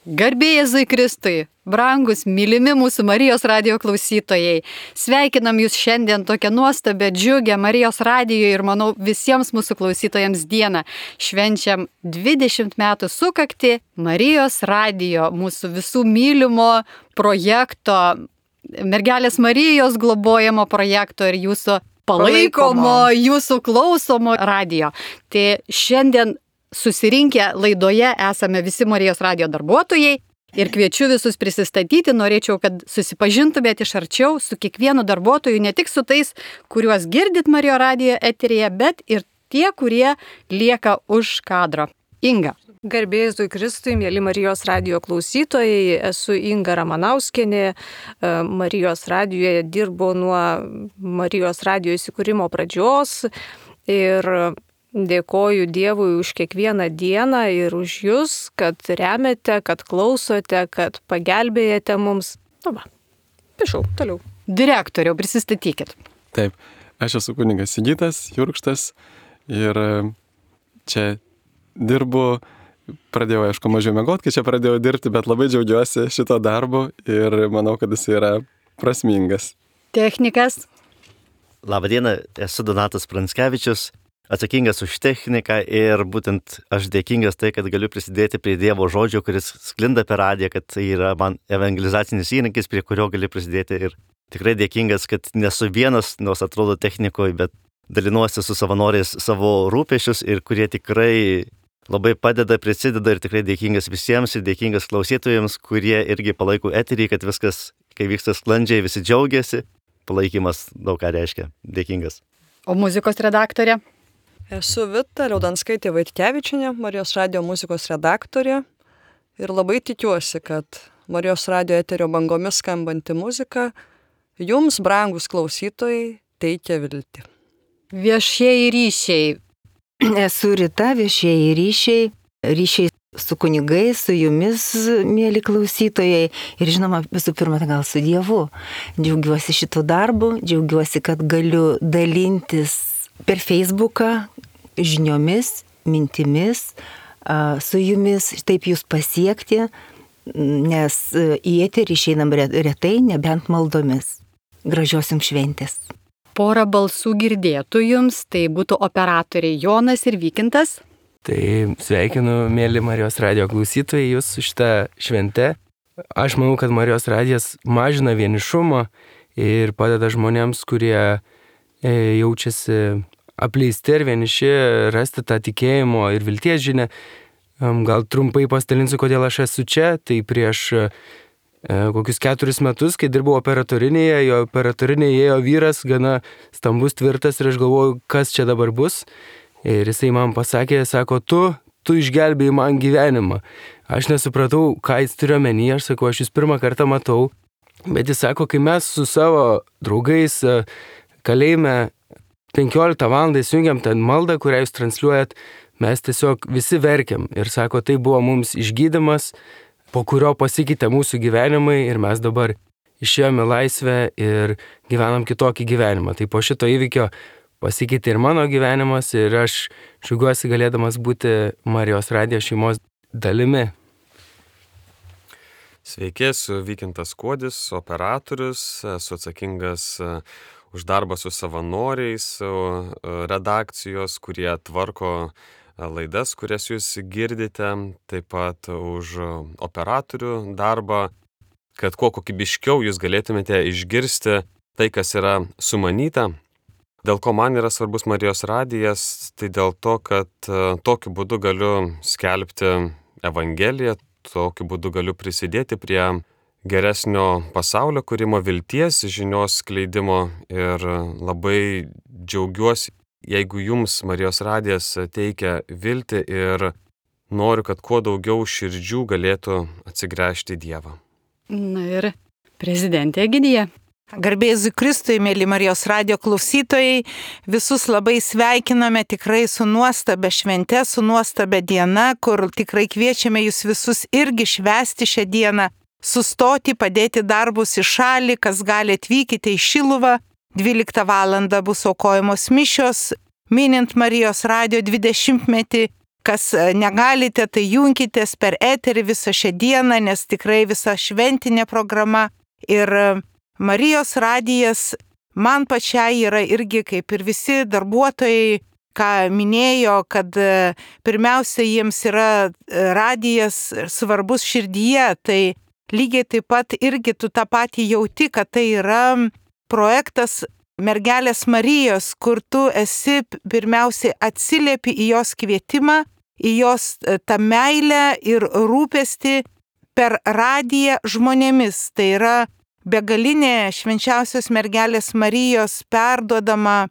Garbė Jėzui Kristui, brangus, mylimi mūsų Marijos radijo klausytojai. Sveikinam jūs šiandien tokią nuostabią, džiugę Marijos radijo ir, manau, visiems mūsų klausytojams dieną. Švenčiam 20 metų sukakti Marijos radijo, mūsų visų mylimo projekto, Mergelės Marijos globojamo projekto ir jūsų palaikomo, jūsų klausomo radijo. Tai šiandien susirinkę laidoje esame visi Marijos radijo darbuotojai ir kviečiu visus prisistatyti. Norėčiau, kad susipažintumėte iš arčiau su kiekvienu darbuotoju, ne tik su tais, kuriuos girdit Marijos radijo eteryje, bet ir tie, kurie lieka už kadro. Inga. Garbė Jėzui Kristui, mėly Marijos radijo klausytojai, esu Inga Ramanauskienė, Marijos radijoje dirbu nuo Marijos radijo įsikūrimo pradžios ir dėkoju Dievui už kiekvieną dieną ir už jūs, kad remiate, kad klausote, kad pagelbėjate mums. Prašau, toliau. Direktoriau, prisistatykit. Taip, aš esu kunigas Sigitas Jurkštas ir čia dirbu, pradėjau, aišku, mažiau miegoti, kai čia pradėjau dirbti, bet labai džiaugiuosi šito darbu ir manau, kad jis yra prasmingas. Technikas. Labadiena, esu Donatas Pranskevičius, atsakingas už techniką ir būtent aš dėkingas tai, kad galiu prisidėti prie Dievo žodžio, kuris sklinda per radiją, kad tai yra man evangelizacinis įrankis, prie kurio gali prisidėti ir tikrai dėkingas, kad nesu vienas, nors atrodo technikoje, bet dalinuosi su savanoriais savo rūpešius ir kurie tikrai labai padeda, prisideda ir tikrai dėkingas visiems ir dėkingas klausytojams, kurie irgi palaiko eterį, kad viskas, kai vyksta sklandžiai, visi džiaugiasi. Palaikymas daug ką reiškia. Dėkingas. O muzikos redaktorė? Esu Vita Liaudanskaitė Vaitkevičienė, Marijos radijo muzikos redaktorė ir labai tikiuosi, kad Marijos radijo eterio bangomis skambanti muzika jums, brangus klausytojai, teikia viltį. Viešieji ryšiai. Esu Rita, viešieji ryšiai su kunigais, su jumis, mėly klausytojai ir žinoma, visų pirma, gal su Dievu. Džiaugiuosi šitų darbų, džiaugiuosi, kad galiu dalintis per Facebooką žiniomis, mintimis, su jumis, taip jūs pasiekti, nes į eterį išeinam retai, nebent maldomis. Gražios jums šventės. Porą balsų girdėtų jums, tai būtų operatoriai Jonas ir Vykintas. Tai sveikinu, mėly Marijos radijo klausytojai, jūs su šitą šventę. Aš manau, kad Marijos radijas mažina vienišumą ir padeda žmonėms, kurie jaučiasi apleisti ir vieniši, rasti tą tikėjimo ir vilties žinią. Gal trumpai pasidalinsiu, kodėl aš esu čia. Tai prieš kokius 4 metus, kai dirbau operatorinėje, jo operatorinėje ėjo vyras, gana stambus, tvirtas ir aš galvoju, kas čia dabar bus. Ir jisai man pasakė, sako, tu išgelbėjai man gyvenimą. Aš nesupratau, ką jis turi omenyje, aš sakau, aš jūs pirmą kartą matau. Bet jis sako, kai mes su savo draugais kalėjime 15 valandą įsijungiam ten maldą, kurią jūs transliuojat, mes tiesiog visi verkiam. Ir sako, tai buvo mums išgydymas, po kurio pasikeitė mūsų gyvenimai ir mes dabar išėjome laisvę ir gyvenam kitokį gyvenimą. Tai po šito įvykio pasikeitė ir mano gyvenimas ir aš džiaugiuosi galėdamas būti Marijos radijo šeimos dalimi. Sveiki, esu Vykintas Kuodis, operatorius, esu atsakingas už darbą su savanoriais, su redakcijos, kurie tvarko laidas, kurias jūs girdite, taip pat už operatorių darbą, kad kuo kokybiškiau jūs galėtumėte išgirsti tai, kas yra sumanyta. Dėl ko man yra svarbus Marijos radijas, tai dėl to, kad tokiu būdu galiu skelbti Evangeliją, tokiu būdu galiu prisidėti prie geresnio pasaulio kūrimo, vilties, žinios skleidimo ir labai džiaugiuosi, jeigu jums Marijos radijas teikia viltį ir noriu, kad kuo daugiau širdžių galėtų atsigręžti į Dievą. Na ir prezidentė Egidija. Garbė Jėzui Kristui, mėly Marijos radijo klausytojai, visus labai sveikiname tikrai su nuostabia švente, su nuostabia diena, kur tikrai kviečiame jūs visus irgi švęsti šią dieną, sustoti, padėti darbus į šalį, kas gali atvykite į Šiluvą, 12 valandą bus aukojamos mišios, minint Marijos radijo 20-metį kas negalite, tai junkitės per eterį visą šią dieną, nes tikrai visa šventinė programa. Ir Marijos radijas man pačiai yra irgi, kaip ir visi darbuotojai, ką minėjo, kad pirmiausia jiems yra radijas svarbus širdyje, tai lygiai taip pat irgi tu tą patį jauti, kad tai yra projektas Mergelės Marijos, kur tu esi pirmiausiai atsiliepi į jos kvietimą, į jos tą meilę ir rūpestį per radiją žmonėmis. Tai yra begalinė švenčiausios Mergelės Marijos perduodama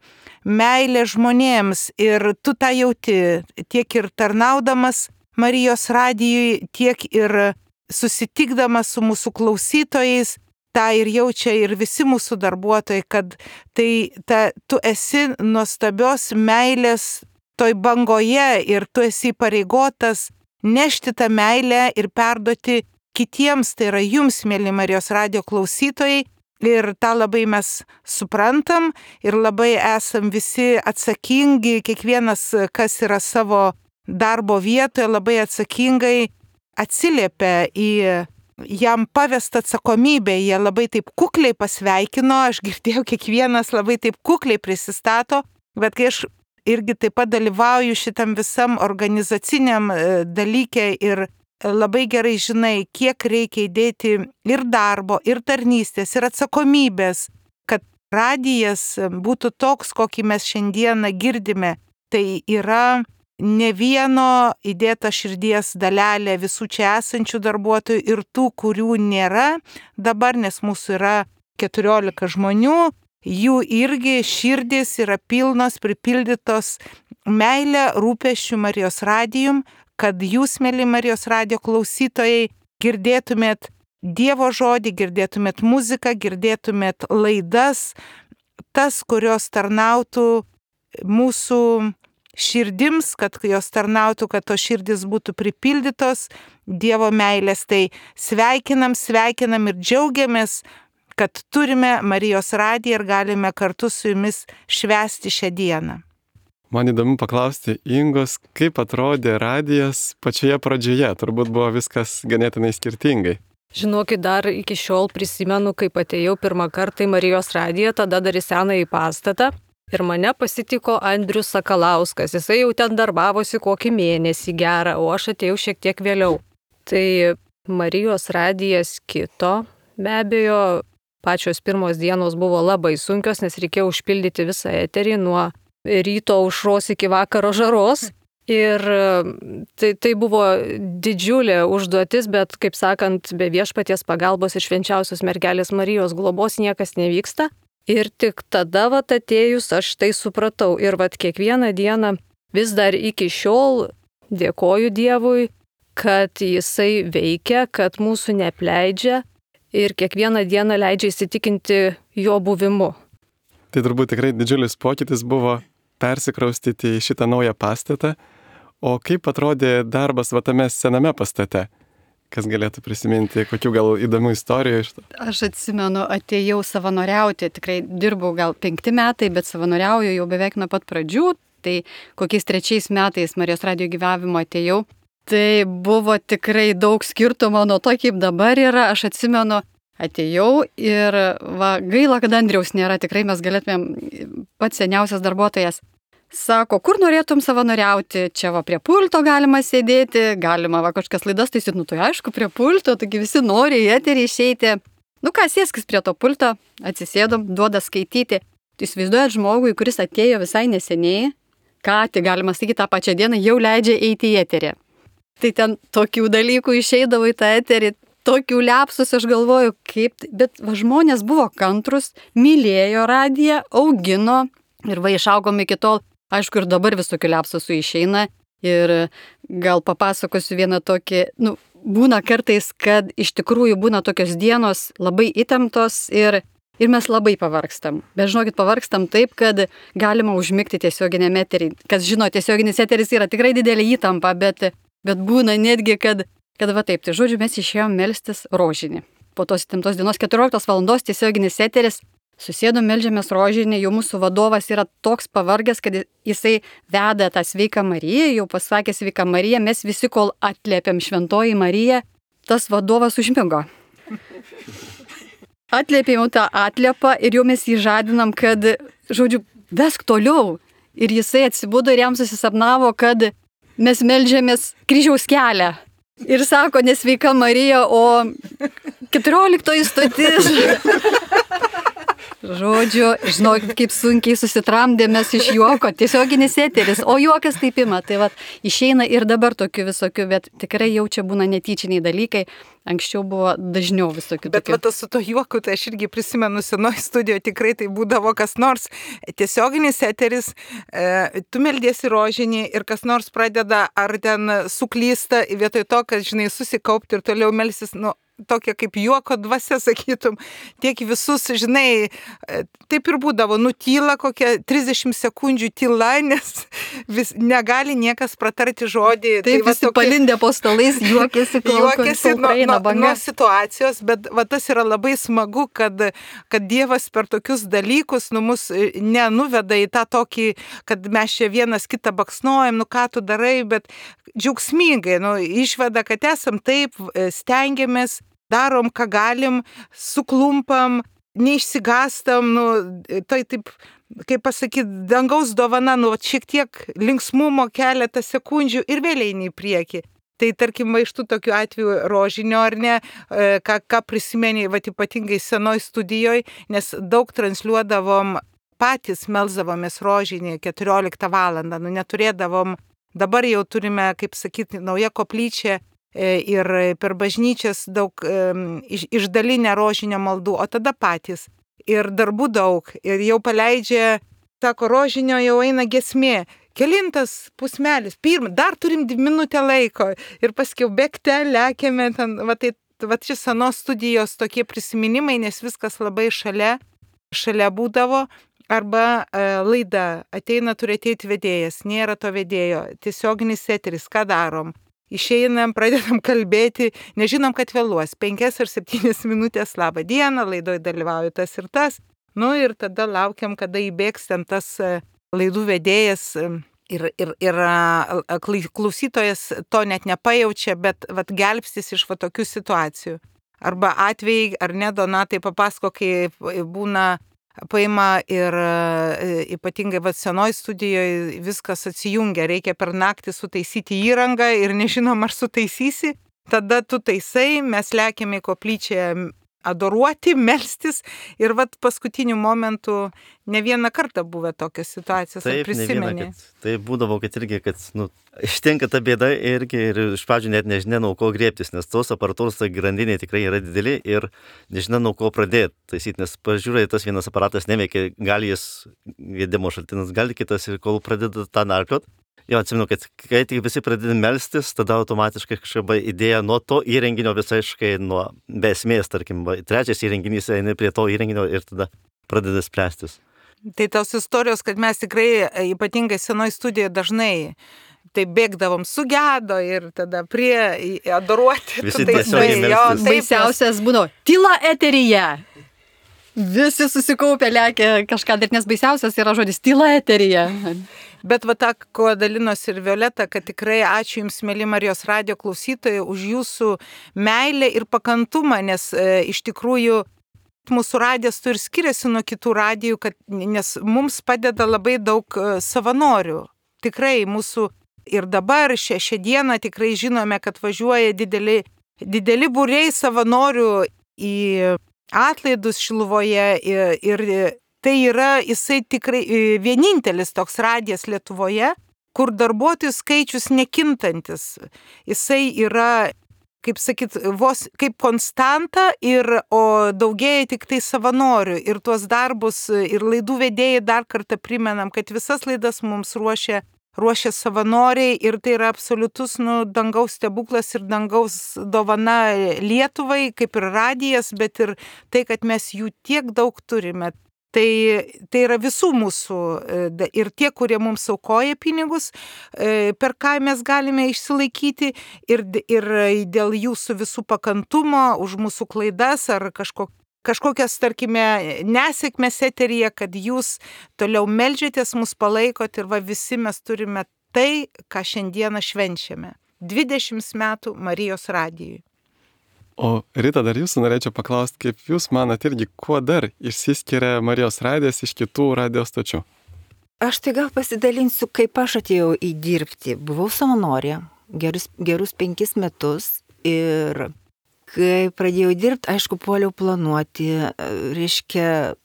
meilė žmonėms ir tu tą jauti tiek ir tarnaudamas Marijos radijui, tiek ir susitikdamas su mūsų klausytojais, tą ir jaučia ir visi mūsų darbuotojai, kad tu esi nuostabios meilės toj bangoje ir tu esi įpareigotas nešti tą meilę ir perduoti kitiems, tai yra jums, mėly Marijos radijo klausytojai, ir tą labai mes suprantam ir labai esam visi atsakingi, kiekvienas, kas yra savo darbo vietoje, labai atsakingai atsiliepia į jam pavestą atsakomybę, jie labai taip kukliai pasveikino, aš girdėjau, kiekvienas labai taip kukliai prisistato, bet kai aš irgi taip pat dalyvauju šitam visam organizaciniam dalyke ir labai gerai žinai, kiek reikia įdėti ir darbo, ir tarnystės, ir atsakomybės, kad radijas būtų toks, kokį mes šiandieną girdime. Tai yra ne vieno įdėta širdies dalelė visų čia esančių darbuotojų ir tų, kurių nėra dabar, nes mūsų yra 14 žmonių, jų irgi širdis yra pilnos, pripildytos meilę, rūpesčių Marijos radijum, kad jūs, mėly Marijos radijo klausytojai, girdėtumėt Dievo žodį, girdėtumėt muziką, girdėtumėt laidas, tas, kurios tarnautų mūsų širdims, kad jos tarnautų, kad to širdis būtų pripildytos Dievo meilės. Tai sveikinam ir džiaugiamės, kad turime Marijos radiją ir galime kartu su jumis švęsti šią dieną. Man įdomu paklausti Ingos, kaip atrodė radijas pačioje pradžioje, turbūt buvo viskas ganėtinai skirtingai. Žinokit, dar iki šiol prisimenu, kaip atėjau pirmą kartą į Marijos radiją, tada dar į senąjį pastatą ir mane pasitiko Andrius Sakalauskas, jisai jau ten darbavosi kokį mėnesį gerą, o aš atėjau šiek tiek vėliau. Tai Marijos radijas kito, be abejo, pačios pirmos dienos buvo labai sunkios, nes reikėjo užpildyti visą eterį nuo ryto aušros iki vakaro žaros. Ir tai buvo didžiulė užduotis, bet, kaip sakant, be viešpaties pagalbos ir švenčiausios Mergelės Marijos globos niekas nevyksta. Ir tik tada, atėjus, aš tai supratau. Ir kiekvieną dieną, vis dar iki šiol, dėkoju Dievui, kad jisai veikia, kad mūsų neapleidžia ir kiekvieną dieną leidžia įsitikinti jo buvimu. Tai turbūt tikrai didžiulis pokytis buvo persikraustyti į šitą naują pastatą. O kaip atrodė darbas tame sename pastate? Kas galėtų prisiminti, kokių gal įdomių istorijų iš to? Aš atsimenu, atėjau savanoriauti, tikrai dirbau gal 5 metai, bet savanoriauju jau beveik nuo pat pradžių. Tai kokiais 3 metais Marijos radijo gyvavimo atėjau. Tai buvo tikrai daug skirtumo nuo to, kaip dabar yra. Aš atsimenu, atėjau ir gaila, kad Andriaus nėra, tikrai mes galėtumėm, pats seniausias darbuotojas. Sako, kur norėtum savanoriauti, čia prie pulto galima sėdėti, galima kažkokias laidas taisyt, tai aišku, prie pulto, taigi visi nori į eterį išeiti. Sėskis prie to pulto, atsisėdom, duoda skaityti. Tai įsivaizduojat žmogui, kuris atėjo visai neseniai, tai galima sakyti tą pačią dieną, jau leidžia eiti į eterį. Tai ten tokių dalykų išeidavo į tą eterį, tokių liapsus, aš galvoju, bet žmonės buvo kantrus, mylėjo radiją, augino ir išaugom iki tol. Aišku, ir dabar visokių liapsusų išeina ir gal papasakosiu vieną tokį, būna kartais, kad iš tikrųjų būna tokios dienos labai įtemptos ir mes labai pavargstam. Bet žinokit, pavargstam taip, kad galima užmigti tiesioginiame eterį. Kas žino, tiesioginis eteris yra tikrai didelė įtampa, bet būna netgi, kad taip, tai žodžiu, mes išėjom melstis rožinį. Po tos įtemptos dienos 14 valandos tiesioginis eteris, Susėdom, meldžiamės rožinį, jau mūsų vadovas yra toks pavargęs, kad jisai veda tą sveiką Mariją, jau pasakė sveiką Mariją, mes visi, kol atliepiam šventoji Marija, tas vadovas užmigo. Atliepėm tą atliepą ir jau mes jį žadinam, kad, žodžiu, vesk toliau. Ir jisai atsibudo ir jam susisapnavo, kad mes meldžiamės kryžiaus kelią. Ir sako, nesveika Marija, o 14 stotis. Žodžiu, žinokit, kaip sunkiai susitramdėmės iš juoko, tiesioginis eteris, o juokas taip ima. Tai va, išeina ir dabar tokių visokių, bet tikrai jau čia būna netyčiniai dalykai. Anksčiau buvo dažniau visokių. Bet va, su to juoku, tai aš irgi prisimenu senoj studijoje, tikrai tai būdavo kas nors tiesioginis eteris, tu meldiesi rožinį ir kas nors pradeda ar ten suklysta vietoj to, kad, žinai, susikaupti ir toliau melsis, tokia kaip juoko dvasia, sakytum, tiek visus, žinai, taip ir būdavo, nutyla kokia 30 sekundžių tyla, nes negali niekas pratarti žodį. Taip, tai visi palindę po stalais, juokėsi nuo situacijos, bet va, tas yra labai smagu, kad Dievas per tokius dalykus mus nenuveda į tą tokį, kad mes čia vienas kitą baksnuojam, ką tu darai, bet džiaugsmingai, išveda, kad esam taip, stengiamės, darom, ką galim, suklumpam, neišsigastam, tai taip, kaip pasakyti, dangaus dovana, šiek tiek linksmumo keletą sekundžių ir vėl eini į priekį. Tai tarkim, iš tų tokių atvejų rožinio, ar ne, ką prisimeni, ypatingai senoj studijoje, nes daug transliuodavom, patys melsdavomės rožinį 14 valandą, neturėdavom, dabar jau turime, kaip sakyti, nauja koplyčia, ir per bažnyčias daug išdalinę rožinio maldų, o tada patys. Ir darbų daug, ir jau paleidžia, sako, rožinio jau eina giesmė, kelintas pusmelis, dar turim minutę laiko, ir paskiau bėgte, lekiame, ten, va čia senos studijos tokie prisiminimai, nes viskas labai šalia būdavo. Arba laida, ateina, turi ateiti vedėjas, nėra to vedėjo, tiesioginis eteris, ką darom? Išeinam, pradedam kalbėti, nežinom, kad vėluos, 5 ar 7 minutės, labą dieną, laidoje dalyvauja tas ir tas. Ir tada laukiam, kada įbėgs ten tas laidų vedėjas ir klausytojas to net nepajaučia, bet gelbstis iš tokių situacijų. Arba atvejai, ar ne, Donatai papasako, kai būna paima ir ypatingai senoj studijoje viskas atsijungia, reikia per naktį sutaisyti įrangą ir nežinom, ar sutaisysi, tada tu taisai, mes lekiame į koplyčią adoruoti, melstis ir paskutiniu momentu ne vieną kartą buvę tokios situacijos, ar prisimeni? Tai būdavo, kad irgi, kad ištinka ta bėda irgi ir iš pradžių net nežinia, nuo ko griebtis, nes tos aparatūros grandinė tikrai yra dideli ir nežinia, nuo ko pradėti taisyti, nes pažiūrėjai, tas vienas aparatas neveikia, gali jis gedimo šaltinas, gali kitas ir kol pradeda tą narpliot. Jo, atsimenu, kad kai tik visi pradeda melstis, tada automatiškai kažkaip idėja nuo to įrenginio visaiškai be esmės, tarkim, trečias įrenginys eina prie to įrenginio ir tada pradeda spręstis. Tai tos istorijos, kad mes tikrai ypatingai senoj studijoje dažnai tai bėgdavom sugedo ir tada prie adoruoti. Visi tiesiogiai melstis. Baisiausias būdavo tyla eteryje. Visi susikaupę lekia kažką dar, nes baisiausias yra žodis tyla eteryje. Bet tą, ko dalinosi ir Violeta, kad tikrai ačiū Jums, mėly Marijos radijo klausytojai, už Jūsų meilę ir pakantumą, nes iš tikrųjų mūsų radijas ir skiriasi nuo kitų radijų, nes mums padeda labai daug savanorių. Tikrai mūsų ir dabar šią dieną tikrai žinome, kad važiuoja dideli būriai savanorių į atlaidus Šiluvoje ir tai yra jisai tikrai vienintelis toks radijas Lietuvoje, kur darbuotojų skaičius nekintantis. Jisai yra, kaip sakyt, vos kaip konstanta, o daugėja tik tai savanorių. Ir tuos darbus ir laidų vedėjai dar kartą primenam, kad visas laidas mums ruošia savanoriai ir tai yra absoliutus dangaus stebuklas ir dangaus dovana Lietuvai, kaip ir radijas, bet ir tai, kad mes jų tiek daug turime. Tai yra visų mūsų ir tie, kurie mums aukoja pinigus, per ką mes galime išsilaikyti ir dėl jūsų visų pakantumo už mūsų klaidas ar kažkokį kažkokias, tarkime, nesėkmės eteryje, kad jūs toliau meldžiatės, mus palaikot ir va visi mes turime tai, ką šiandieną švenčiame. 20 metų Marijos radijui. O Rita, dar jūsų norėčiau paklausti, kaip jūs manat irgi, kuo dar išsiskiria Marijos radijas iš kitų radijos stočių? Aš tai gal pasidalinsiu, kaip aš atėjau į dirbti. Buvau savanorė gerus 5 metus ir kai pradėjau dirbti, aišku, puoliau planuoti, reiškia,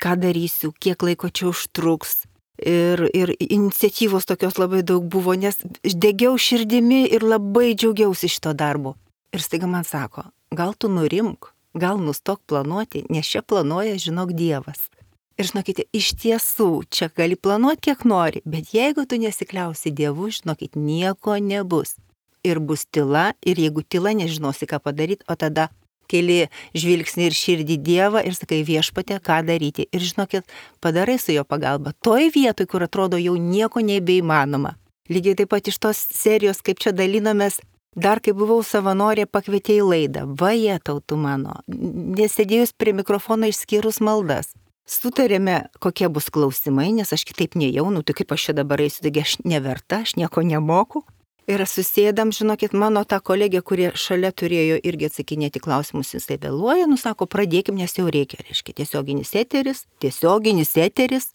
ką darysiu, kiek laiko čia užtruks. Ir iniciatyvos tokios labai daug buvo, nes degiau širdimi ir labai džiaugiausi šito darbo. Ir staiga man sako, gal tu nurimk, gal nustok planuoti, nes čia planuoja, žinok, Dievas. Ir žinokite, iš tiesų, čia gali planuoti kiek nori, bet jeigu tu nesikliausi Dievu, žinokit, nieko nebus. Ir bus tyla, ir jeigu tyla, nežinosi, ką padaryti, o tada keli žvilgsnį ir širdį Dievą ir sakai, Viešpatie, ką daryti. Ir žinokit, padarai su jo pagalba. Toj vietoj, kur atrodo jau nieko nebeįmanoma. Lygiai taip pat iš tos serijos, kaip čia dalinomės, dar kai buvau savanorė, pakvietė į laidą. Vajetau tu mano, nesėdėjus prie mikrofono išskyrus maldas. Sutarėme, kokie bus klausimai, nes aš kitaip nejau, tai kaip aš čia dabar eisiu, taigi aš neverta, aš nieko nemoku. Ir susėdam, žinokit, mano ta kolegė, kurie šalia turėjo irgi atsakinėti klausimus, jisai vėluoja, sako, pradėkim, nes jau reikia, reiškia, tiesioginis eteris.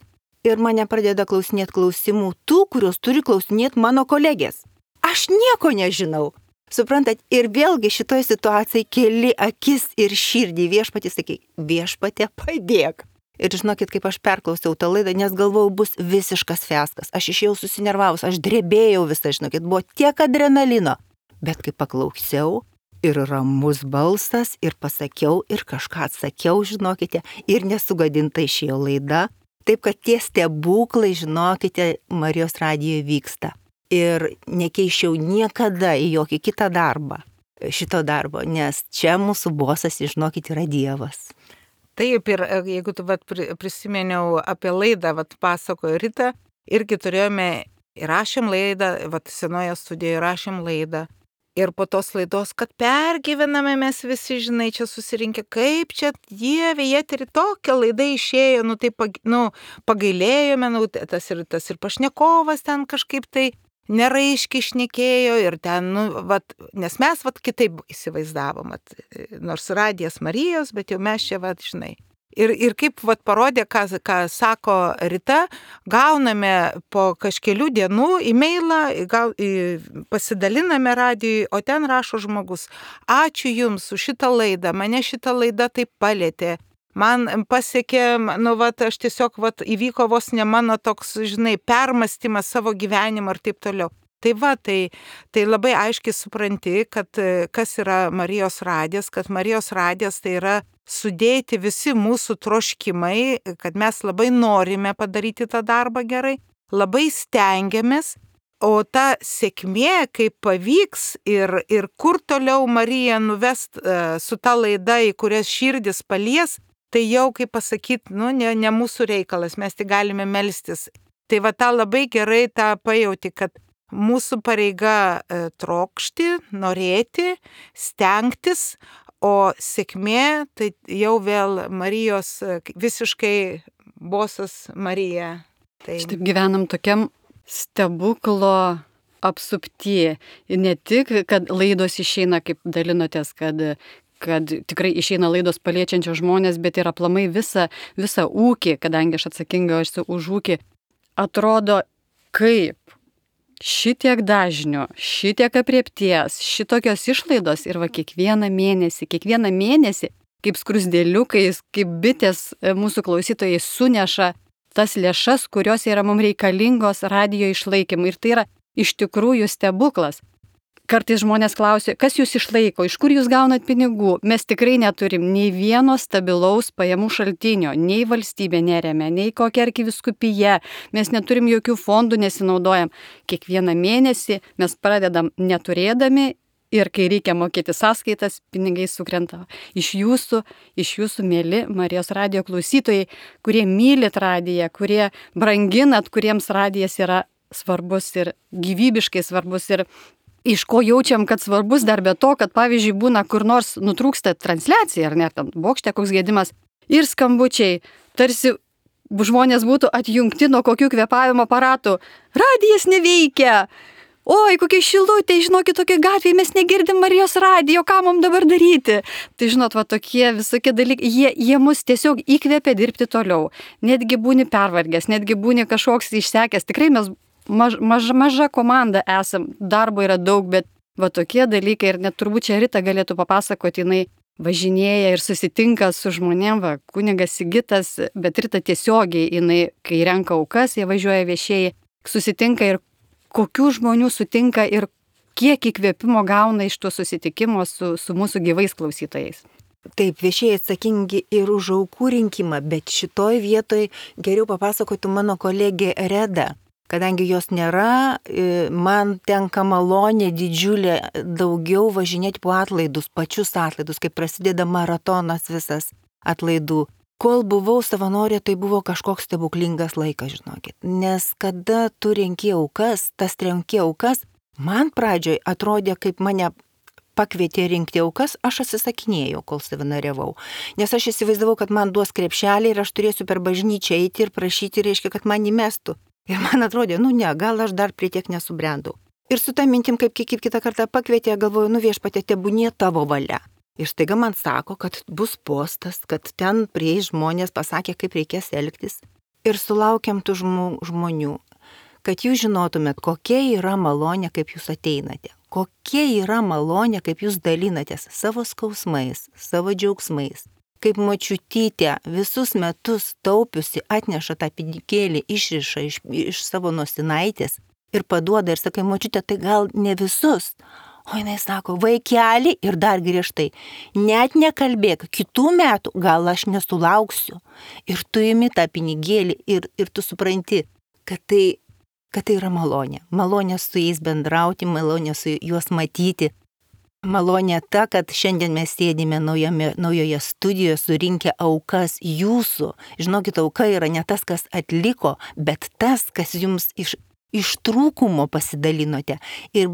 Ir mane pradeda klausinėti klausimų tų, kurios turi klausinėti mano kolegės. Aš nieko nežinau. Suprantat, ir vėlgi šitoj situacijai keli akis ir širdį Viešpatį, sakai, Viešpatie, padėk. Ir žinokit, kaip aš perklausiau tą laidą, nes galvojau, bus visiškas fiaskas. Aš išėjau susinervavus, aš drebėjau visą, žinokit, buvo tiek adrenalino. Bet kai paklausiau, ir ramus balsas, ir pasakiau, ir kažką atsakiau, žinokite, ir nesugadinta išėjo laida. Taip, kad tie stebuklai, žinokite, Marijos radijoje vyksta. Ir nekeičiau niekada į jokį kitą darbą, šito darbo, nes čia mūsų bosas, žinokit, yra Dievas. Taip, ir jeigu tu prisiminiau apie laidą, pasakojo Rita, irgi turėjome, įrašėm laidą, senoje studijoje įrašėm laidą. Ir po tos laidos, kad pergyvename mes visi, žinai, čia susirinkę, kaip čia Dieve, eterį tokia laida išėjo, tai pagailėjome, tas ir pašnekovas ten kažkaip tai neraiškiai šnekėjo ir ten, nes mes kitaip įsivaizdavom, nors radijas Marijos, bet jau mes čia, žinai. Ir kaip parodė, ką sako Rita, gauname po kažkelių dienų e-mailą, pasidaliname radijui, o ten rašo žmogus, ačiū Jums už šitą laidą, mane šitą laidą taip palėtė. Man pasiekė, aš tiesiog, įvyko vos ne mano toks, žinai, permąstymas savo gyvenimą ir taip toliau. Tai labai aiškiai supranti, kad kas yra Marijos radijas, kad Marijos radijas tai yra sudėti visi mūsų troškimai, kad mes labai norime padaryti tą darbą gerai, labai stengiamės, o ta sėkmė, kaip pavyks ir kur toliau Marija nuvest su ta laida, į kurias širdis palies, tai jau, kaip pasakyti, ne mūsų reikalas, mes tik galime melstis. Tai tą labai gerai tą pajauti, kad mūsų pareiga trokšti, norėti, stengtis, o sėkmė tai jau vėl Marijos visiškai bosas Marija. Tai... Šitaip gyvenam tokiam stebuklo apsupti. Ne tik, kad laidos išeina, kaip dalinotės, kad tikrai išeina laidos paliečiančios žmonės, bet ir aplamai visą ūkį, kadangi aš atsakinga esu už ūkį, atrodo kaip šitiek dažnių, šitiek apriepties, šitokios išlaidos ir kiekvieną mėnesį, kaip skrusdėliukais, kaip bitės mūsų klausytojai suneša tas lėšas, kurios yra mums reikalingos radijo išlaikymui. Ir tai yra iš tikrųjų stebuklas. Kartais žmonės klausia, kas jūs išlaiko, iš kur jūs gaunat pinigų. Mes tikrai neturim nei vieno stabilaus pajamų šaltinio, nei valstybė neremia, nei kokia arkivyskupija. Mes neturim jokių fondų, nesinaudojam. Kiekvieną mėnesį mes pradedam neturėdami ir kai reikia mokėti sąskaitas, pinigai sukrenta. Iš jūsų mieli Marijos radijo klausytojai, kurie mylit radiją, kurie branginat, kuriems radijas yra svarbus ir gyvybiškai svarbus. Ir iš ko jaučiam, kad svarbus dar be to, kad pavyzdžiui būna kur nors nutrūksta transliacija, ar ne, ten bokšte koks gedimas ir skambučiai, tarsi žmonės būtų atjungti nuo kokių kvėpavimo aparatų. Radijas neveikia. Oi, kokie šilutė, žinokit, tokie gatvėje mes negirdim Marijos radijo, ką mums dabar daryti. Tai žinot, va tokie visokie dalykai, jie mus tiesiog įkvėpia dirbti toliau. Netgi būni pervargęs, netgi būni kažkoks išsekęs. Tikrai mes maža komanda esam, darbo yra daug, bet va tokie dalykai ir net turbūt čia Rita galėtų papasakoti, jinai važinėja ir susitinka su žmonėm, va, kunigas Sigitas, bet Rita tiesiogiai, jinai, kai renka aukas, jie važiuoja viešieji, susitinka ir kokių žmonių sutinka ir kiek įkvėpimo gauna iš to susitikimo su mūsų gyvais klausytojais. Taip, viešieji atsakingi ir už aukų rinkimą, bet šitoj vietoj geriau papasakotų mano kolegė Reda. Kadangi jos nėra, man tenka malonė didžiulė daugiau važinėti po atlaidus, pačius atlaidus, kai prasideda maratonas visas atlaidų. Kol buvau savanorė, tai buvo kažkoks stebuklingas laikas, žinokit. Nes kada tu renki aukas, man pradžioj atrodė, kaip mane pakvietė rinkti aukas, aš atsisakinėjau, kol savanoriavau. Nes aš įsivaizdavau, kad man duos krepšelį ir aš turėsiu per bažnyčią eiti ir prašyti, reiškia, kad man įmestų. Ir man atrodė, gal aš dar prie tiek nesubrendau. Ir su tą mintim, kaip kitą kartą pakvietė, galvoju, Viešpatie, tebūnie tavo valia. Ir staiga man sako, kad bus postas, kad ten prie žmonės pasakė, kaip reikės elgtis. Ir sulaukiam tų žmonių, kad jūs žinotumėt, kokia yra malonė, kaip jūs ateinate. Kokia yra malonė, kaip jūs dalinatės savo skausmais, savo džiaugsmais. Kaip močiutytė visus metus taupiusi atneša tą pinigėlį, išriša iš savo nosinaitės ir paduoda ir sakai, močiutė, tai gal ne visus. O jinai sako, vaikeli ir dar griežtai, net nekalbėk, kitų metų gal aš nesulauksiu. Ir tu imi tą pinigėlį ir tu supranti, kad tai yra malonė. Malonė su jais bendrauti, malonė su juos matyti. Malonė ta, kad šiandien mes sėdime naujoje studijoje surinkę aukas jūsų. Žinokit, auka yra ne tas, kas atliko, bet tas, kas jums iš trūkumo pasidalinote. Ir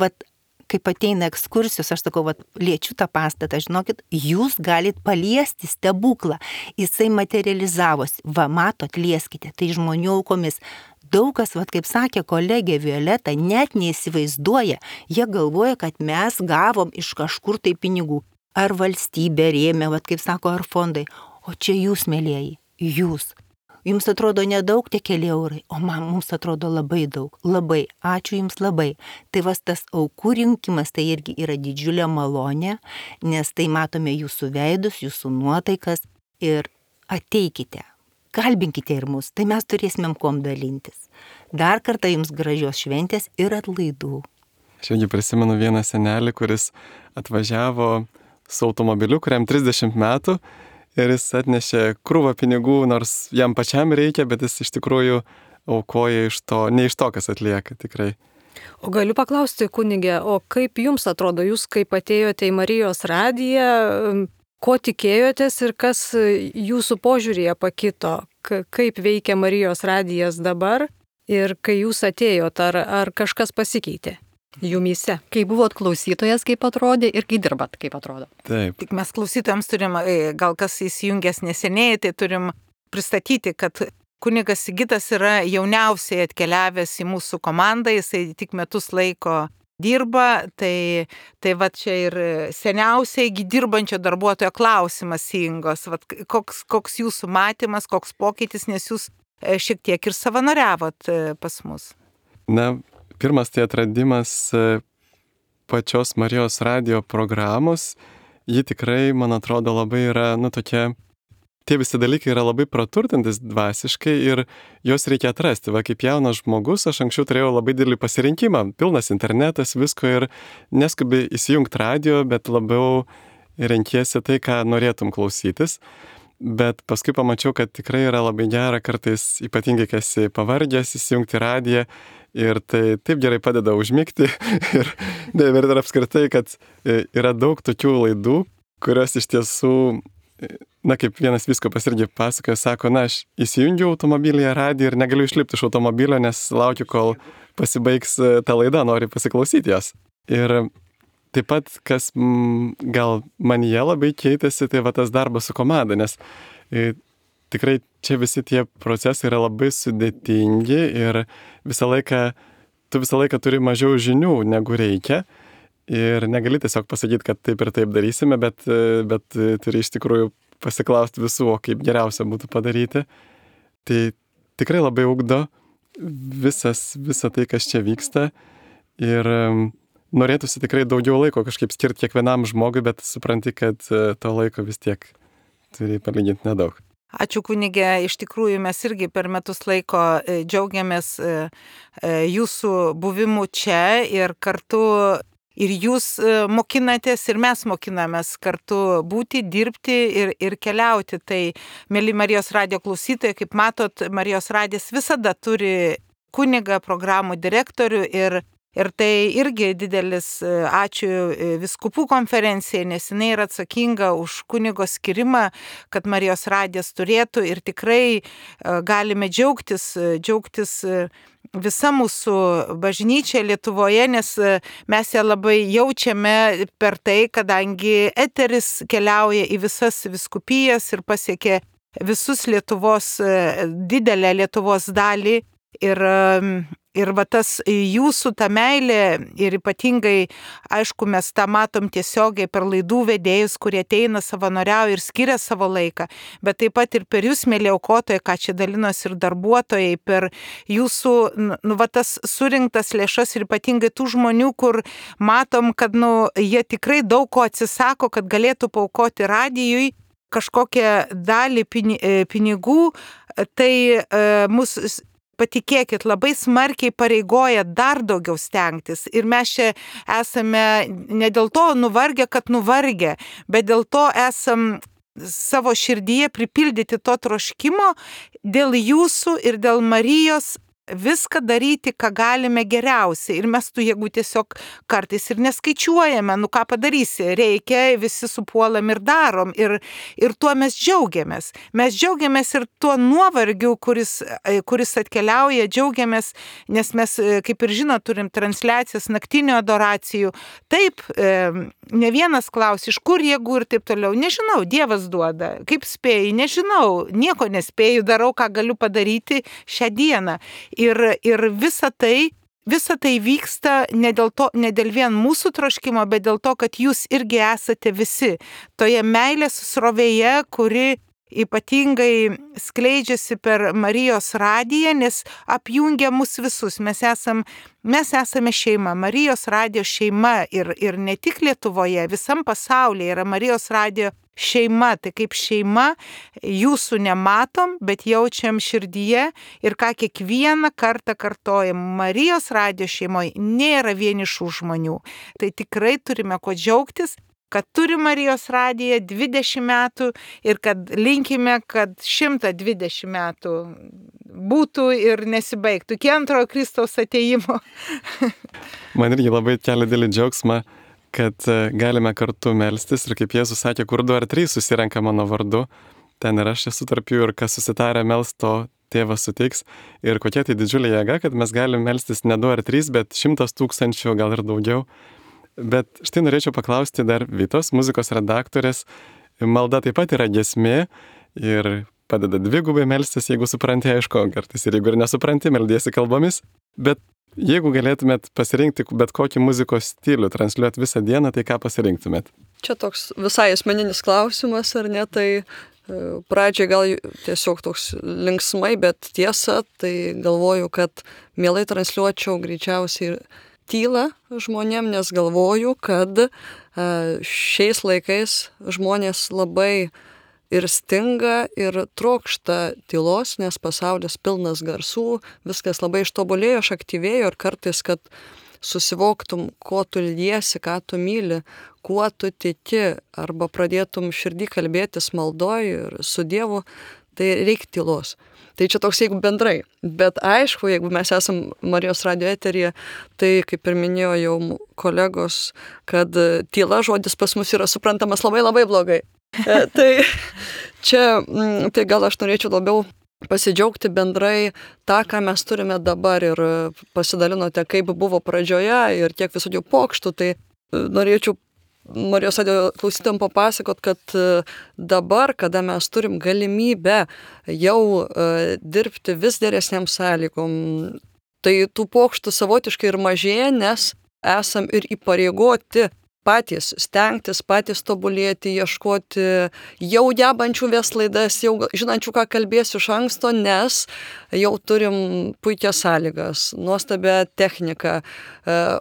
kaip ateina ekskursijos, aš sakau, liečiu tą pastatą, žinokit, jūs galit paliesti stebuklą. Jisai materializavosi. Matot, lieskite, tai žmonių aukomis. Daug kas, kaip sakė kolegė Violeta, net neįsivaizduoja. Jie galvoja, kad mes gavom iš kažkur tai pinigų. Ar valstybė rėmė, kaip sako, ar fondai. O čia jūs, mėlieji, jūs. Jums atrodo nedaug tie keli eurai, o mums atrodo labai daug. Labai. Ačiū jums labai. Tai tas aukų rinkimas tai irgi yra didžiulė malonė, nes tai matome jūsų veidus, jūsų nuotaikas ir ateikite. Kalbinkite ir mus, tai mes turėsimėm kuom dalintis. Dar kartą jums gražios šventės ir atlaidų. Aš irgi prisimenu vieną senelį, kuris atvažiavo su automobiliu, kuriam 30 metų. Ir jis atnešė krūvą pinigų, nors jam pačiam reikia, bet jis iš tikrųjų aukoja ne iš to, kas atlieka tikrai. O galiu paklausti, kunigė, o kaip jums atrodo, jūs kaip atėjote į Marijos radiją, ko tikėjotės ir kas jūsų požiūrėje pakito, kaip veikia Marijos radijas dabar ir kai jūs atėjot, ar kažkas pasikeitė? Jumyse. Kai buvot klausytojas, kaip atrodė ir kai dirbat, kaip atrodo. Taip. Tik mes klausytojams turim, gal kas įsijungęs neseniai, tai turim pristatyti, kad kunigas Sigitas yra jauniausiai atkeliavęs į mūsų komandą, jisai tik metus laiko dirba, tai čia ir seniausiai dirbančio darbuotojo klausimas, Ingos, koks jūsų matymas, koks pokytis, nes jūs šiek tiek ir savanoriavot pas mus. Pirmas tai atradimas pačios Marijos radijo programos. Ji tikrai, man atrodo, labai yra, tokia, tie visi dalykai yra labai praturtintis dvasiškai ir juos reikia atrasti. Kaip jaunas žmogus, aš anksčiau turėjau labai didelį pasirinkimą, pilnas internetas, visko ir neskubi įsijungti radijo, bet labiau renkiesi tai, ką norėtum klausytis. Bet paskui pamačiau, kad tikrai yra labai gera kartais, ypatingai kai esi pavargęs, įsijungti radiją ir tai taip gerai padeda užmigti ir apskritai, kad yra daug tokių laidų, kurios iš tiesų, kaip vienas vyskupas irgi pasakoja, sako, aš įsijungiau automobilyje radiją ir negaliu išlipti iš automobilio, nes laukiu, kol pasibaigs ta laida, noriu pasiklausyti jos. Ir taip pat, kas gal manyje labai keitėsi, tai va tas darbas su komanda, nes tikrai čia visi tie procesai yra labai sudėtingi ir tu visą laiką turi mažiau žinių, negu reikia. Ir negali tiesiog pasakyti, kad taip ir taip darysime, bet turi iš tikrųjų pasiklausti visų, o kaip geriausia būtų padaryti. Tai tikrai labai ugdo visą tai, kas čia vyksta. Ir norėtųsi tikrai daugiau laiko kažkaip skirti kiekvienam žmogui, bet supranti, kad to laiko vis tiek turi palyginti nedaug. Ačiū kunigė, iš tikrųjų mes irgi per metus laiko džiaugiamės jūsų buvimu čia ir kartu ir jūs mokinatės ir mes mokinamės kartu būti, dirbti ir keliauti. Tai, mėly Marijos radijo klausytojai, kaip matot, Marijos radijas visada turi kunigą, programų direktorių ir tai irgi didelis ačiū vyskupų konferencijai, nes jinai yra atsakinga už kunigo skirimą, kad Marijos radijas turėtų ir tikrai galime džiaugtis visa mūsų bažnyčia Lietuvoje, nes mes ją labai jaučiame per tai, kadangi eteris keliauja į visas vyskupijas ir pasiekia visus Lietuvos, didelę Lietuvos dalį. Ir va tas jūsų ta meilė ir ypatingai, aišku, mes tą matom tiesiogiai per laidų vedėjus, kurie ateina savanoriauja ir skiria savo laiką, bet taip pat ir per jūs, mėly aukotojai, ką čia dalinos ir darbuotojai, per jūsų, va tas surinktas lėšas ir ypatingai tų žmonių, kur matom, kad, jie tikrai daug ko atsisako, kad galėtų paaukoti radijui kažkokią dalį pinigų, tai mus patikėkit, labai smarkiai pareigoja dar daugiau stengtis. Ir mes čia esame ne dėl to nuvargę, kad nuvargę, bet dėl to esam savo širdyje pripildyti to troškimo dėl jūsų ir dėl Marijos viską daryti, ką galime geriausiai. Ir mes tų jėgų tiesiog kartais ir neskaičiuojame. Ką padarysi? Reikia, visi supuolam ir darom. Ir tuo mes džiaugiamės. Mes džiaugiamės ir tuo nuovargiu, kuris atkeliauja, džiaugiamės, nes mes, kaip ir žinot, turim transliacijas naktinių adoracijų. Taip, ne vienas klausia, iš kur jėgų ir taip toliau. Nežinau, Dievas duoda. Kaip spėjai? Nežinau. Nieko nespėju, darau, ką galiu padaryti šią dieną. Ir visa tai vyksta ne dėl vien mūsų troškimo, bet dėl to, kad jūs irgi esate visi toje meilės srovėje, kuri ypatingai skleidžiasi per Marijos radiją, nes apjungia mus visus. Mes esame šeima, Marijos radijo šeima ir ne tik Lietuvoje, visam pasaulyje yra Marijos radijo šeima. Tai kaip šeima jūsų nematom, bet jaučiam širdyje ir ką kiekvieną kartą kartojam. Marijos radijo šeimoje nėra vienišų žmonių. Tai tikrai turime ko džiaugtis, kad turi Marijos radiją 20 metų ir kad linkime, kad 120 metų būtų ir nesibaigtų iki antrojo Kristaus atėjimo. Man irgi labai kelia didelį džiaugsmą, kad galime kartu melstis ir kaip Jėzus sakė, kur 2 ar 3 susirenka mano vardu, ten ir aš esu tarp jų ir kas susitarę mels, to Tėvas suteiks. Ir kokia tai didžiulė jėga, kad mes galime melstis ne 2 ar 3, bet 100 000, gal ir daugiau. Bet štai norėčiau paklausti dar Vitos, muzikos redaktorės. Malda taip pat yra giesmė ir padeda dvigubai melstis, jeigu supranti, aišku, kartais ir jeigu ir nesupranti, meldiesi kalbomis. Bet jeigu galėtumėt pasirinkti bet kokį muzikos stilių, transliuoti visą dieną, tai ką pasirinktumėt? Čia toks visai asmeninis klausimas, ar ne? Tai pradžiai gal tiesiog toks linksmai, bet tiesa, tai galvoju, kad mielai transliuočiau greičiausiai tylą žmonėm, nes galvoju, kad šiais laikais žmonės labai ir stinga, ir trokšta tylos, nes pasaulis pilnas garsų, viskas labai ištobulėjo, aktyvėjo ir kartais, kad susivoktum, ko tu ilgiesi, ką tu myli, kuo tu tiki, arba pradėtum širdį kalbėtis maldoj ir su Dievu, tai reikia tylos. Tai čia toks, jeigu bendrai. Bet aišku, jeigu mes esam Marijos radijo eteryje, tai kaip ir minėjo jau kolegos, kad tyla žodis pas mus yra suprantamas labai labai blogai. Tai čia, tai gal aš norėčiau labiau pasidžiaugti bendrai tą, ką mes turime dabar ir pasidalinote, kaip buvo pradžioje ir kiek visokių pokštų, tai norėčiau Marijos radio klausytojams papasakot, kad dabar, kada mes turim galimybę jau dirbti vis geresniam sąlygom, tai tų pokštų savotiškai ir mažėja, nes esam ir įpareigoti patys stengtis, patys tobulėti, ieškoti jau gebančių vest laidas, jau žinančių, ką kalbėsiu iš anksto, nes jau turim puikias sąlygas, nuostabią techniką,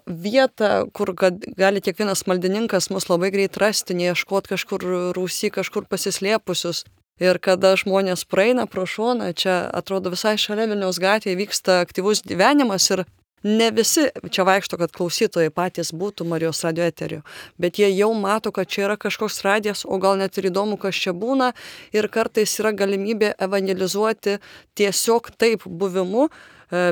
vietą, kur gali kiekvienas maldininkas mus labai greit rasti, neieškoti kažkur rūsy, kažkur pasislėpusius. Ir kada žmonės praeina pro šoną, čia atrodo visai šalia Vilniaus gatvėje vyksta aktyvus gyvenimas ir ne visi čia vaikšto, kad klausytojai patys būtų Marijos radio eteriu, bet jie jau mato, kad čia yra kažkoks radijas, o gal net ir įdomu, kas čia būna, ir kartais yra galimybė evangelizuoti tiesiog taip buvimu,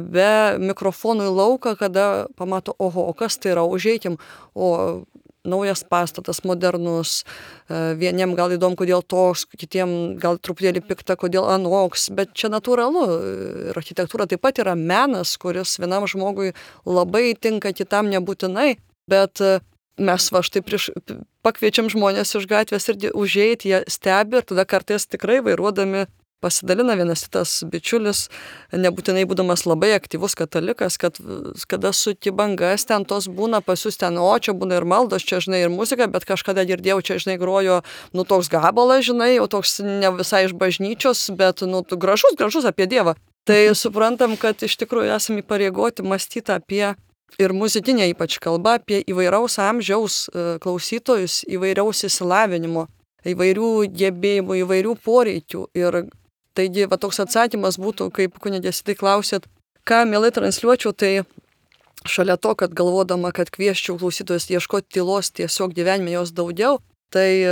be mikrofonų į lauką, kada pamato, oho, o kas tai yra, užeikim, o naujas pastatas, modernus, vieniem gal įdomu, kodėl toks, kitiem gal truputėlį pikta, kodėl anoks, bet čia natūralu. Ir architektūra taip pat yra menas, kuris vienam žmogui labai tinka, kitam nebūtinai, bet mes štai pakviečiam žmonės iš gatvės ir užeiti, jie stebi ir tada kartais tikrai vairuodami pasidalina vienas kitas bičiulis, nebūtinai būdamas labai aktyvus katalikas, kad kada suki bangas, ten tos būna pas jūs ten, o čia būna ir maldos, čia žinai ir muzika, bet kažkada girdėjau, čia žinai grojo, toks gabalas, žinai, jau toks ne visai iš bažnyčios, bet gražus apie Dievą. Tai suprantam, kad iš tikrųjų esame įpareigoti mąstyti apie ir muzikinė ypač kalba, apie įvairaus amžiaus klausytojus, įvairiaus įsilavinimo, įvairių gebėjimų, įvairių poreikių. Ir taigi, toks atsakymas būtų, kaip kunigės tai klausėt, ką mielai transliuočiau, tai šalia to, kad galvodama, kad kvieščiau klausytojus ieškoti tylos tiesiog gyvenime jos daugiau, tai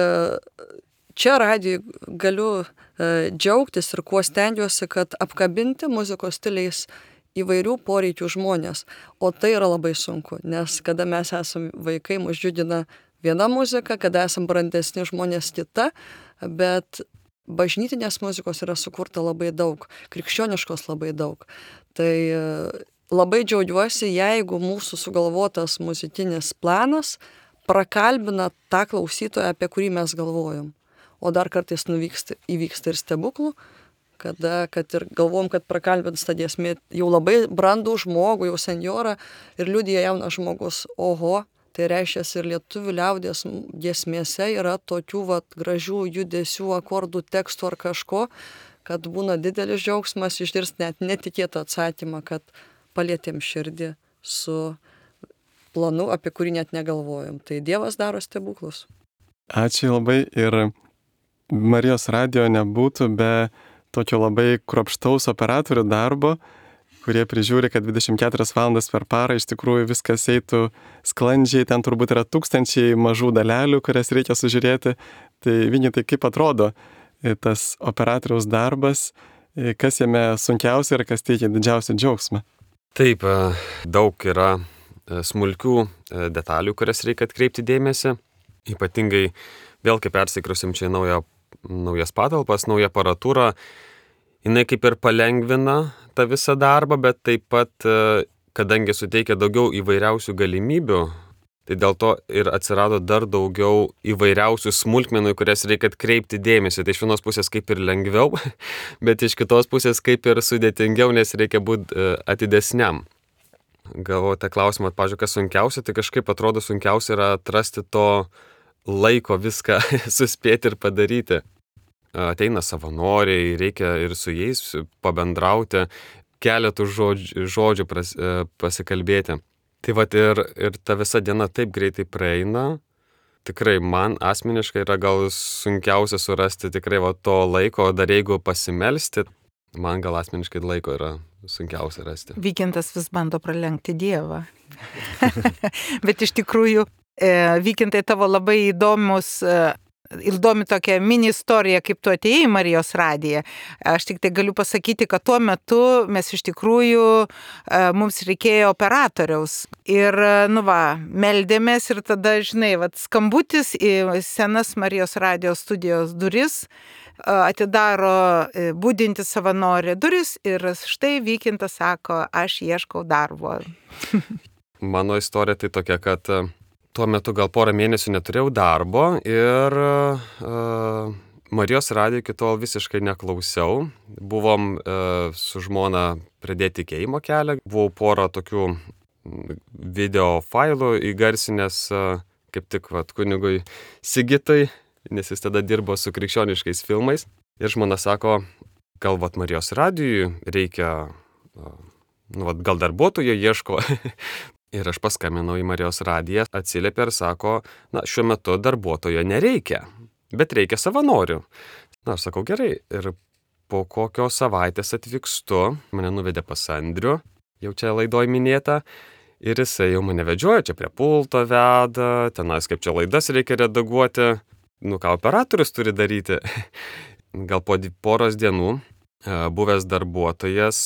čia radijui galiu džiaugtis ir kuo stengiuosi, kad apkabinti muzikos stiliais įvairių poreikių žmonės. O tai yra labai sunku, nes kada mes esame vaikai, mus džiugina viena muzika, kada esame brandesni žmonės kita, bet bažnytinės muzikos yra sukurta labai daug, krikščioniškos labai daug. Tai labai džiaugiuosi, jeigu mūsų sugalvotas muzikinis planas prakalbina tą klausytoją, apie kurį mes galvojom. O dar kartais įvyksta ir stebuklų, kad ir galvom, kad prakalbins tą giesmę jau labai brandų žmogų, jau senjorą, ir liudija jaunas žmogus, oho, tai reiškia ir lietuvių liaudies giesmėse yra tokių gražių judesių, akordų, tekstų ar kažko, kad būna didelis džiaugsmas išgirsti net netikėtą atsakymą, kad palietėm širdį su planu, apie kurį net negalvojom. Tai Dievas daro stebuklus. Ačiū labai, ir Marijos radio nebūtų be tokio labai kruopštaus operatorių darbo, kurie prižiūri, kad 24 valandas per parą iš tikrųjų viskas eitų sklandžiai, ten turbūt yra tūkstančiai mažų dalelių, kurias reikia sužiūrėti. Tai Vini, tai kaip atrodo tas operatoriaus darbas, kas jame sunkiausia ir kas teikia didžiausią džiaugsmą? Taip, daug yra smulkių detalių, kurias reikia atkreipti dėmesį. Ypatingai vėl, kai persikrusim čia naujas patalpas, naują aparatūrą, jinai kaip ir palengvina tą visą darbą, bet taip pat, kadangi suteikia daugiau įvairiausių galimybių, tai dėl to ir atsirado dar daugiau įvairiausių smulkmenų, kurias reikia atkreipti dėmesį. Tai iš vienos pusės kaip ir lengviau, bet iš kitos pusės kaip ir sudėtingiau, nes reikia būti atidesniam. Galvoju, tą klausimą, pavyzdžiui, kas sunkiausia, tai kažkaip atrodo sunkiausia yra atrasti to laiko viską suspėti ir padaryti. Ateina savanoriai, reikia ir su jais pabendrauti, keletų žodžių pasikalbėti. Tai vat ir ta visa diena taip greitai praeina. Tikrai man asmeniškai yra gal sunkiausia surasti tikrai to laiko, dar jeigu pasimelsti, man gal asmeniškai laiko yra sunkiausia rasti. Vykintas vis bando pralenkti Dievą. Bet iš tikrųjų, Vykintai, tavo labai įdomus įdomi tokia mini istorija, kaip tu atėjai į Marijos radiją. Aš tik tai galiu pasakyti, kad tuo metu mes iš tikrųjų, mums reikėjo operatoriaus. Ir, meldėmės ir tada, žinai, skambutis į senas Marijos radijos studijos duris atidaro budinti savanorė duris ir štai Vykintas sako, aš ieškau darbo. Mano istorija tai tokia, kad tuo metu gal porą mėnesių neturėjau darbo ir Marijos radijo iki tol visiškai neklausiau. Buvom su žmona pradėti tikėjimo kelią. Buvau porą tokių video failų įgarsinęs kaip tik kunigui Sigitui, nes jis tada dirbo su krikščioniškais filmais. Ir žmona sako, gal Marijos radijui reikia, gal darbuotojo ieško. Ir aš paskambinau į Marijos radiją, atsiliepė ir sako, šiuo metu darbuotojo nereikia, bet reikia savanorių. Aš sakau, gerai. Ir po kokios savaitės atvykstu, mane nuvedė pas Andrių, jau čia laidoj minėta, ir jisai jau mane vedžioja, čia prie pulto veda, tenais kaip čia laidas reikia redaguoti, ką operatorius turi daryti. Gal po poros dienų buvęs darbuotojas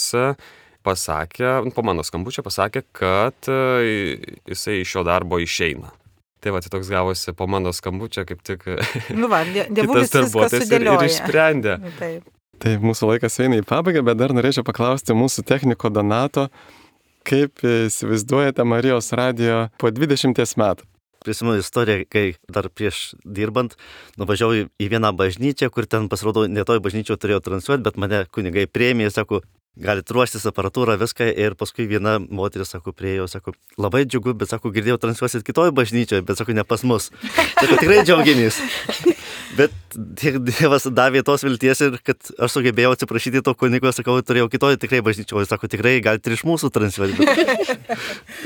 pasakė, po mano skambučio pasakė, kad jisai iš šio darbo išeina. Tai toks gavosi po mano skambučio, kaip tik kitas darbuotojas ir išsprendė. Tai mūsų laikas eina į pabaigą, bet dar norėčiau paklausti mūsų techniko Donato, kaip įsivaizduojate Marijos radijo po 20 metų? Prisimenu istoriją, kai dar prieš dirbant nuvažiavau į vieną bažnyčią, kur ten pasirodo, ne toj bažnyčioje turėjau transliuoti, bet mane kunigai priėmė, sako, galite ruoštis aparatūrą, viską, ir paskui viena moteris, sako, priėjo, sako, labai džiugu, bet, sako, girdėjau, transliuosit kitoj bažnyčioje, bet, sako, ne pas mus. Sako, tikrai džiaugiamės. Bet Dievas davė tos vilties ir kad aš sugebėjau atsiprašyti to kunigo, sakau, turėjau kitoj tikrai bažnyčioje, sako, tikrai galite ir iš mūsų transliuoti.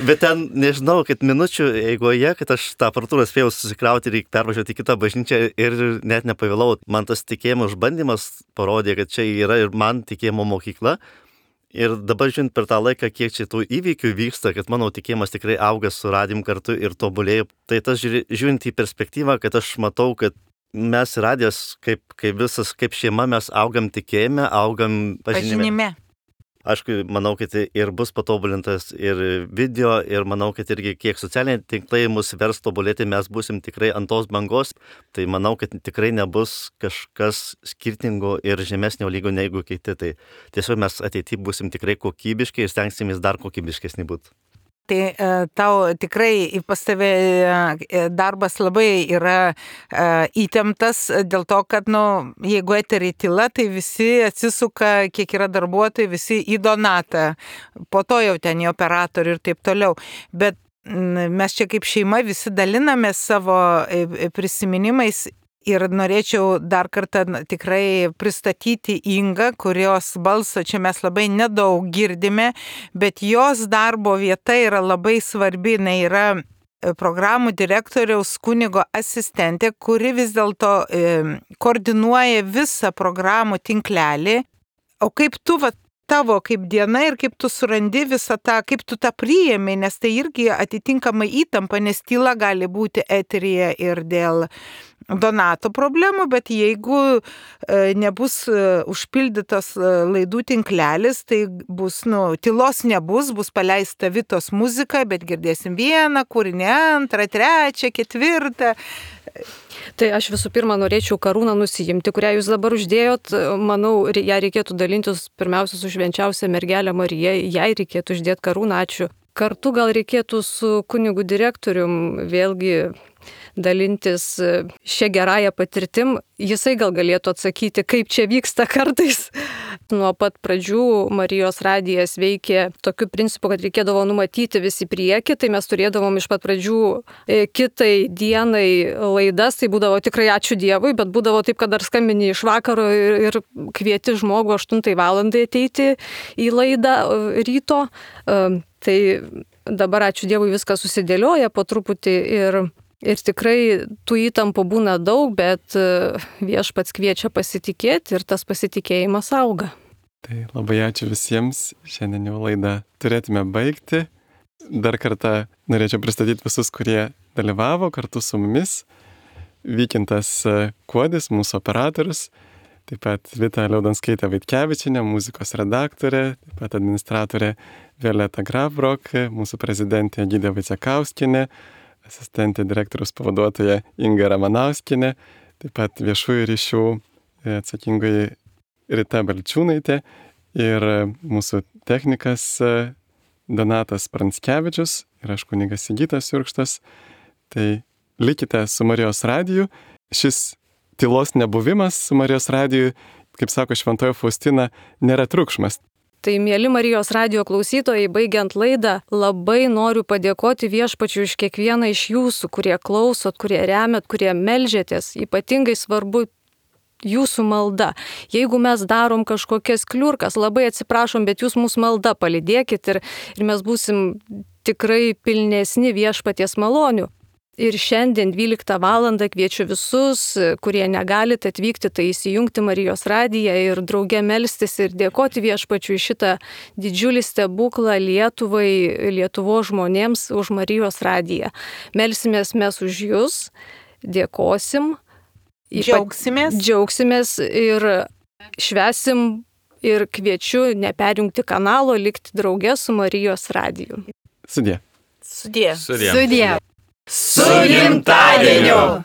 Bet ten, nežinau, kad minučių eigoje, kad aš tą aparatūrą spėjau susikrauti ir pervažiuoti į kitą bažnyčią ir net nepavėlau. Man tas tikėjimo išbandymas parodė, kad čia yra ir man tikėjimo mokykla. Ir dabar žiūrint per tą laiką, kiek čia tų įvykių vyksta, kad mano tikėjimas tikrai auga su radim kartu ir tobulėja. Tai tas žiūrint į perspektyvą, kad aš matau, kad mes radijas, kaip šeima, mes augam tikėjime, augam pažinime. Aišku, manau, kad ir bus patobulintas ir video, ir manau, kad irgi kiek socialiniai tinklai mus vers tobulėti, mes būsim tikrai ant tos bangos. Tai manau, kad tikrai nebus kažkas skirtingo ir žemesnio lygio negu kiti. Tai tiesiog mes ateityje būsim tikrai kokybiški ir stengsimės dar kokybiškesni būti. Tai tau tikrai pas tave darbas labai yra įtemptas dėl to, kad, jeigu eterį tyla, tai visi atsisuka, kiek yra darbuotojai, visi į Donatą, po to jau ten į operatorių ir taip toliau. Bet mes čia kaip šeima visi daliname savo prisiminimais. Ir norėčiau dar kartą tikrai pristatyti Ingą, kurios balso čia mes labai nedaug girdime, bet jos darbo vieta yra labai svarbi. Jinai yra programų direktoriaus kunigo asistentė, kuri vis dėlto koordinuoja visą programų tinklelį. O kaip tu, tavo kaip diena ir kaip tu surandi visą tą, kaip tu tą priėmė, nes tai irgi atitinkamai įtampa, nes tyla gali būti eteryje ir dėl Donato problemų, bet jeigu nebus užpildytas laidų tinklelis, tai bus, tylos nebus, bus paleista Vitos muzika, bet girdėsim vieną kūrinį, antrą, trečią, ketvirtą. Tai aš visų pirma norėčiau karūną nusijimti, kurią jūs dabar uždėjot. Manau, ją reikėtų dalintis pirmiausia su švenčiausia mergelė Marija, jai reikėtų uždėti karūną, ačiū. Kartu gal reikėtų su kunigu direktorium vėlgi dalintis šią gerąją patirtim. Jisai gal galėtų atsakyti, kaip čia vyksta kartais. Nuo pat pradžių Marijos radijas veikė tokiu principu, kad reikėdavo numatyti visi priekį, tai mes turėdavom iš pat pradžių kitai dienai laidas, tai būdavo tikrai ačiū Dievui, bet būdavo taip, kad dar skambini iš vakaro ir kvieti žmogų 8 valandai ateiti į laidą ryto. Tai dabar ačiū Dievui viskas susidėlioja po truputį ir tikrai tų įtampų būna daug, bet Viešpats kviečia pasitikėti ir tas pasitikėjimas auga. Tai labai ačiū visiems. Šiandien jau laidą turėtume baigti. Dar kartą norėčiau pristatyti visus, kurie dalyvavo kartu su mumis. Vykintas Kuodis, mūsų operatorius, taip pat Vita Liaudanskaitė Vaitkevičienė, muzikos redaktorė, taip pat administratorė Violeta Grafbrok, mūsų prezidentė Egidija Vaicekauskinė, asistentė direktoriaus pavaduotoja Inga Ramanauskienė, taip pat viešųjų ryšių atsakingoji Rita Balčiūnaitė ir mūsų technikas Donatas Pranskevičius ir aš kunigas Sigitas Jurkštas. Tai likite su Marijos radiju. Šis tylos nebuvimas su Marijos radiju, kaip sako šventoji Faustina, nėra triukšmas. Tai, mėly Marijos radijo klausytojai, baigiant laidą, labai noriu padėkoti Viešpačiui už kiekvieną iš jūsų, kurie klausot, kurie remiat, kurie melžiatės. Ypatingai svarbu jūsų malda. Jeigu mes darom kažkokias kliurkas, labai atsiprašom, bet jūs mūsų malda palydėkit ir mes būsim tikrai pilnesni Viešpaties malonių. Ir šiandien 12 valandą kviečiu visus, kurie negalite atvykti, tai įsijungti Marijos radiją ir drauge melstis ir dėkoti Viešpačiui šitą didžiulį stebuklą Lietuvai, Lietuvos žmonėms už Marijos radiją. Melsimės mes už jūs, dėkosim, džiaugsimės ir švesim ir kviečiu neperjungti kanalo, likti drauge su Marijos radiju. Sudie. Sudie. Sudie. Su gimtadieniu!